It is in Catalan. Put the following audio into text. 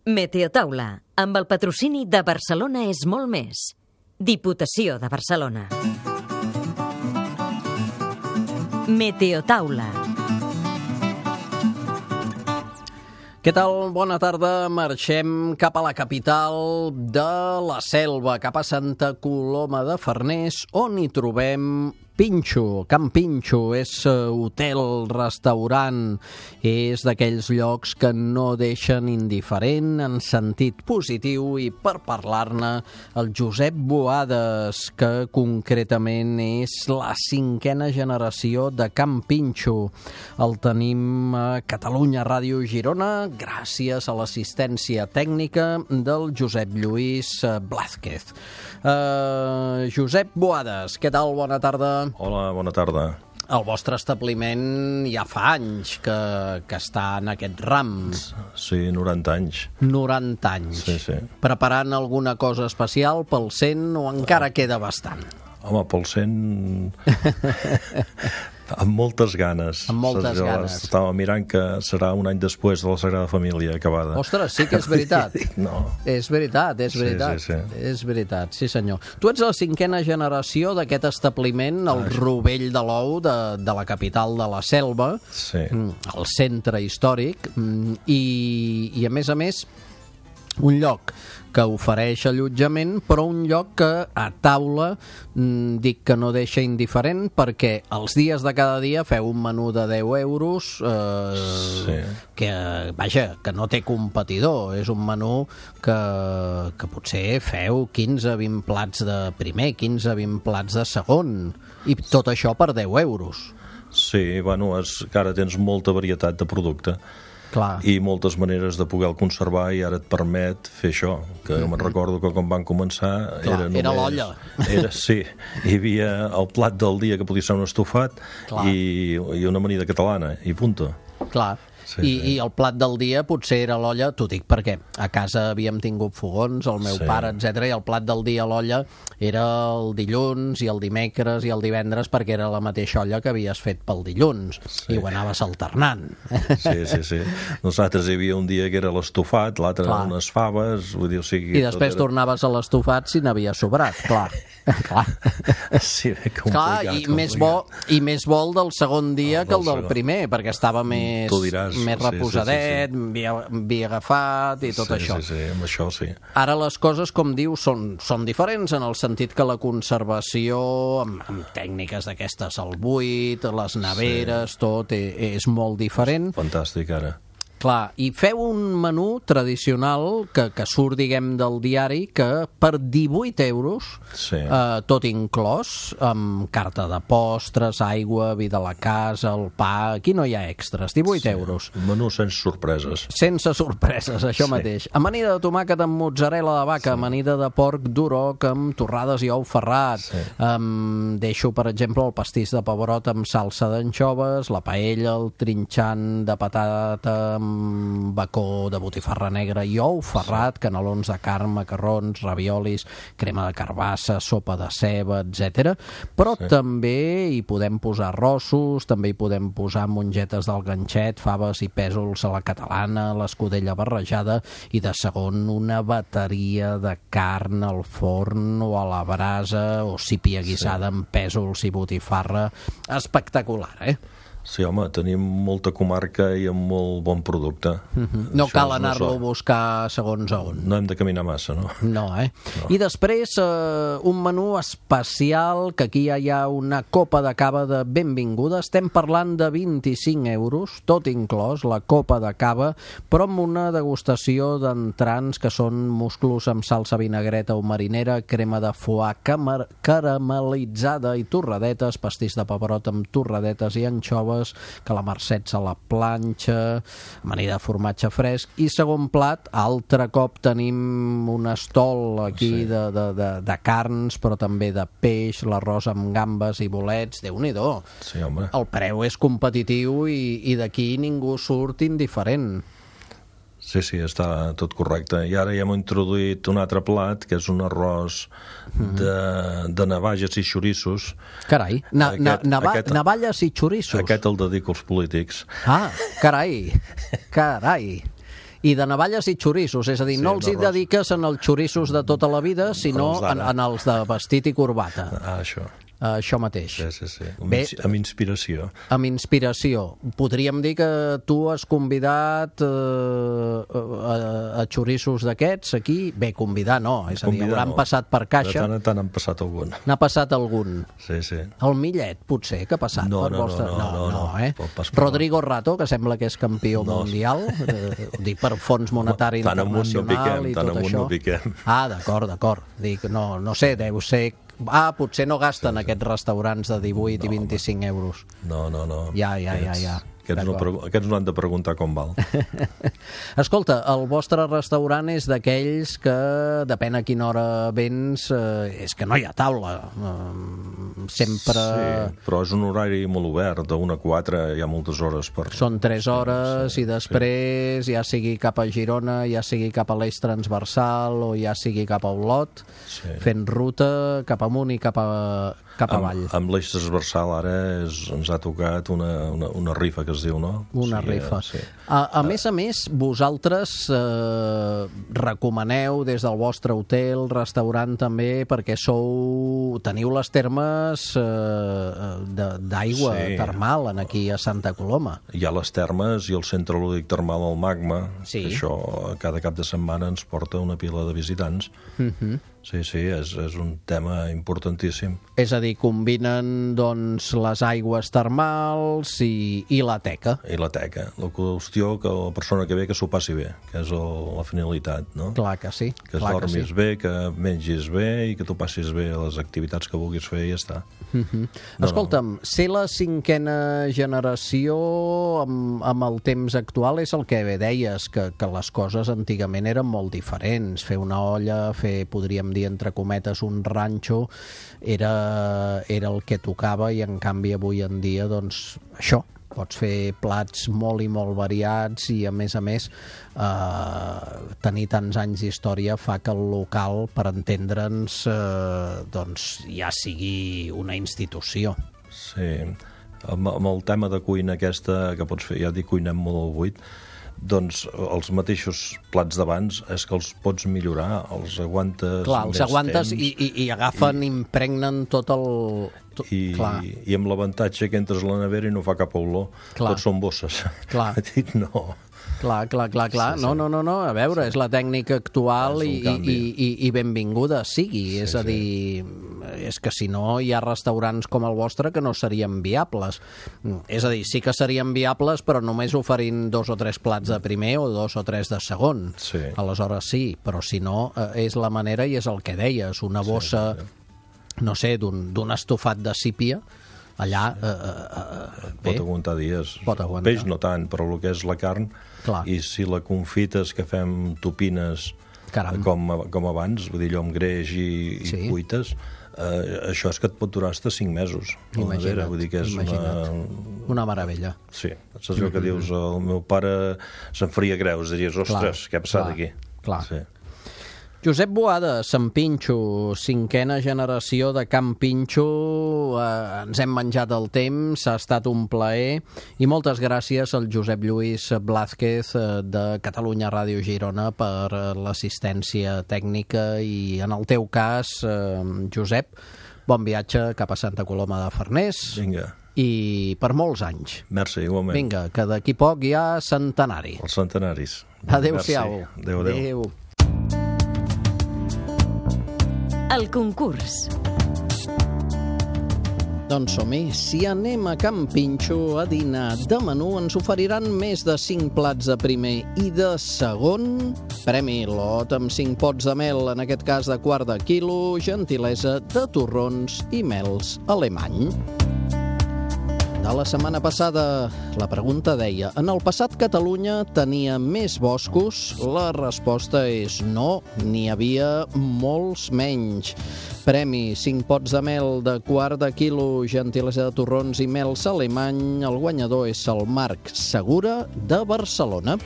Meteotaula, amb el patrocini de Barcelona és molt més. Diputació de Barcelona. Meteotaula. Què tal? Bona tarda. Marxem cap a la capital de la Selva, cap a Santa Coloma de Farners, on hi trobem Pinxo. Can Pinxo és hotel, restaurant, és d'aquells llocs que no deixen indiferent en sentit positiu, i per parlar-ne el Josep Boades, que concretament és la 5a generació de Can Pinxo. El tenim a Catalunya Ràdio Girona gràcies a l'assistència tècnica del Josep Lluís Blázquez. Josep Boades, què tal? Bona tarda. Hola, bona tarda. El vostre establiment ja fa anys que està en aquest ram. Sí, 90 anys. 90 anys. Sí. Preparant alguna cosa especial pel 100 o encara queda bastant? Home, pel 100... amb moltes ganes. Amb moltes ganes. Estava mirant que serà un any després de la Sagrada Família acabada. Ostres, sí que és veritat. No. És veritat. Sí. És veritat, sí senyor. Tu ets la 5a generació d'aquest establiment, el Rovell de l'Ou, de la capital de la Selva, sí. El centre històric, i a més, un lloc que ofereix allotjament, però un lloc que a taula dic que no deixa indiferent, perquè els dies de cada dia feu un menú de 10 euros sí. que no té competidor. És un menú que potser feu 15-20 plats de primer, 15-20 plats de segon, i tot això per 10 euros. Sí, bueno, és que ara tens molta varietat de producte. Clar. I moltes maneres de poder-lo conservar, i ara et permet fer això, que me'n recordo que quan van començar era l'olla. Sí, hi havia el plat del dia, que podia ser un estofat, i una amanida catalana, i punto. Clar. I el plat del dia potser era l'olla, t'ho dic perquè a casa havíem tingut fogons, el meu pare, etc, i el plat del dia a l'olla era el dilluns i el dimecres i el divendres, perquè era la mateixa olla que havies fet pel dilluns, i ho anaves alternant. Sí. Nosaltres hi havia un dia que era l'estofat, l'altre eren unes faves, vull dir, o sigui... I després tornaves a l'estofat si n'havia sobrat, clar. Sí, complicat. Clar, i més bo el del segon dia que el del primer, perquè estava més reposadet, havia agafat i tot això. Sí, amb això sí. Ara les coses, com dius, són diferents, en el sentit que la conservació, amb tècniques d'aquestes al buit, les neveres, tot és molt diferent. Fantàstic, ara. Clar, i feu un menú tradicional que surt, diguem, del diari, que per 18 euros, tot inclòs, amb carta de postres, aigua, vi de la casa, el pa... Aquí no hi ha extras, 18 euros. Un menú sense sorpreses. Sense sorpreses, això mateix. Amanida de tomàquet amb mozzarella de vaca, amanida de porc d'uroc amb torrades i ou ferrat. Deixo, per exemple, el pastís de pebrot amb salsa d'anxoves, la paella, el trinxant de patata amb bacó de botifarra negra i ou ferrat, canelons de carn, macarrons, raviolis, crema de carbassa, sopa de ceba, etc. Però també hi podem posar arrossos, també hi podem posar mongetes del ganxet, faves i pèsols a la catalana, l'escudella barrejada, i de segon una bateria de carn al forn o a la brasa, o sípia guisada amb pèsols i botifarra. Espectacular, Sí, home, tenim molta comarca i amb molt bon producte. No cal anar-lo a buscar segons on. No hem de caminar massa, no? No. I després, un menú especial, que aquí ja hi ha una copa de cava de benvinguda. Estem parlant de 25 euros, tot inclòs, la copa de cava, però amb una degustació d'entrants que són musclos amb salsa vinagreta o marinera, crema de foie caramelitzada i torradetes, pastís de pebrot amb torradetes i anxoves, calamarsets a la planxa, amanida de formatge fresc, i segon plat, altre cop tenim un estol aquí de carns, però també de peix, l'arròs amb gambes i bolets, Déu-n'hi-do. Sí, home. El preu és competitiu i d'aquí ningú surt indiferent. Sí, està tot correcte. I ara ja hem introduït un altre plat, que és un arròs de navalles i xorissos. Carai, navalles i xorissos. Aquest el dedico als polítics. Ah, carai. I de navalles i xoriços, és a dir, no els hi dediques en els xoriços de tota la vida, sinó en els de vestit i corbata. Això mateix. Sí. Amb inspiració. Amb inspiració. Podríem dir que tu has convidat a xoriços d'aquests aquí? Bé, convidar no, és a dir, hauran passat per caixa. De tant han passat algun. N'ha passat algun. Sí. El Millet, potser, que ha passat per vostre... No, Rodrigo Rato, que sembla que és campió mundial, dic per Fons Monetari Internacional i tot això. D'acord. Dic, no sé, deu ser... potser no gasten aquests restaurants de 18 i 25 euros. No. Ja. Aquests no han de preguntar com val. Escolta, el vostre restaurant és d'aquells que, depèn a quina hora vens, és que no hi ha taula. Sempre... Sí, però és un horari molt obert, de 1 a 4 hi ha moltes hores per... Són 3 hores i després, ja sigui cap a Girona, ja sigui cap a l'eix transversal o ja sigui cap a Olot, fent ruta cap amunt i cap avall. Amb l'eix transversal ara ens ha tocat una rifa que es diu, no? Una rifa. Sí. A més, vosaltres recomaneu des del vostre hotel, restaurant també, perquè teniu les termes d'aigua termal aquí a Santa Coloma. Hi ha les termes i el centre lúdic termal al Magma. Això cada cap de setmana ens porta una pila de visitants. Sí, és un tema importantíssim. És a dir, combinen doncs les aigües termals i la teca. I la teca. La qüestió que la persona que ve que s'ho passi bé, que és la finalitat, no? Clar que sí. Que es dormis bé, que mengis bé i que tu passis bé a les activitats que vulguis fer i ja està. Escolta'm, ser la 5a generació amb el temps actual és el que deies, que les coses antigament eren molt diferents. Fer una olla, podríem dir entre cometes un ranxo, era el que tocava, i en canvi avui en dia doncs això, pots fer plats molt i molt variats i a més tenir tants anys d'història fa que el local, per entendre'ns, doncs ja sigui una institució. Sí, amb el tema de cuina aquesta que pots fer, ja dic, cuinem molt al buit, doncs els mateixos plats d'abans és que els pots millorar, els aguantes temps. I agafen, impregnen tot el... I amb l'avantatge que entres a la nevera i no fa cap olor. Tots són bosses. No. Clar. No, a veure, és la tècnica actual i benvinguda sigui. És a dir, és que si no hi ha restaurants com el vostre que no serien viables. És a dir, sí que serien viables, però només oferint 2 o 3 plats de primer o 2 o 3 de segon. Aleshores sí, però si no, és la manera i és el que deies, una bossa, no sé, d'un estofat de sípia, allà... pot aguantar dies. Peix no tant, però el que és la carn, i si la confites, que fem topines com abans, vull dir, allò amb greix i cuites, això és que et pot durar fins a 5 mesos. Imagina't. Vull dir que és una meravella. Sí, saps allò que dius, el meu pare se'n faria greus, diries, ostres, què ha passat aquí? Clar. Josep Boada, Sant Pinxo, 5a generació de Can Pinxo, ens hem menjat el temps, ha estat un plaer, i moltes gràcies al Josep Lluís Blázquez de Catalunya Ràdio Girona per l'assistència tècnica, i en el teu cas, Josep, bon viatge cap a Santa Coloma de Farners. Vinga. I per molts anys. Merci, igualment. Vinga, que d'aquí poc hi ha centenari. Els centenaris. Adéu-siau. Adéu. El concurs. Doncs som-hi. Si anem a Can Pinxo a dinar de menú, ens oferiran més de 5 plats de primer i de segon. Premi lot amb 5 pots de mel, en aquest cas de 1/4 quilo, gentilesa de torrons i mels alemany. De la setmana passada, la pregunta deia: en el passat Catalunya tenia més boscos? La resposta és no, n'hi havia molts menys. Premi 5 pots de mel de 1/4 quilo, gentilesa de torrons i mels alemany. El guanyador és el Marc Segura de Barcelona.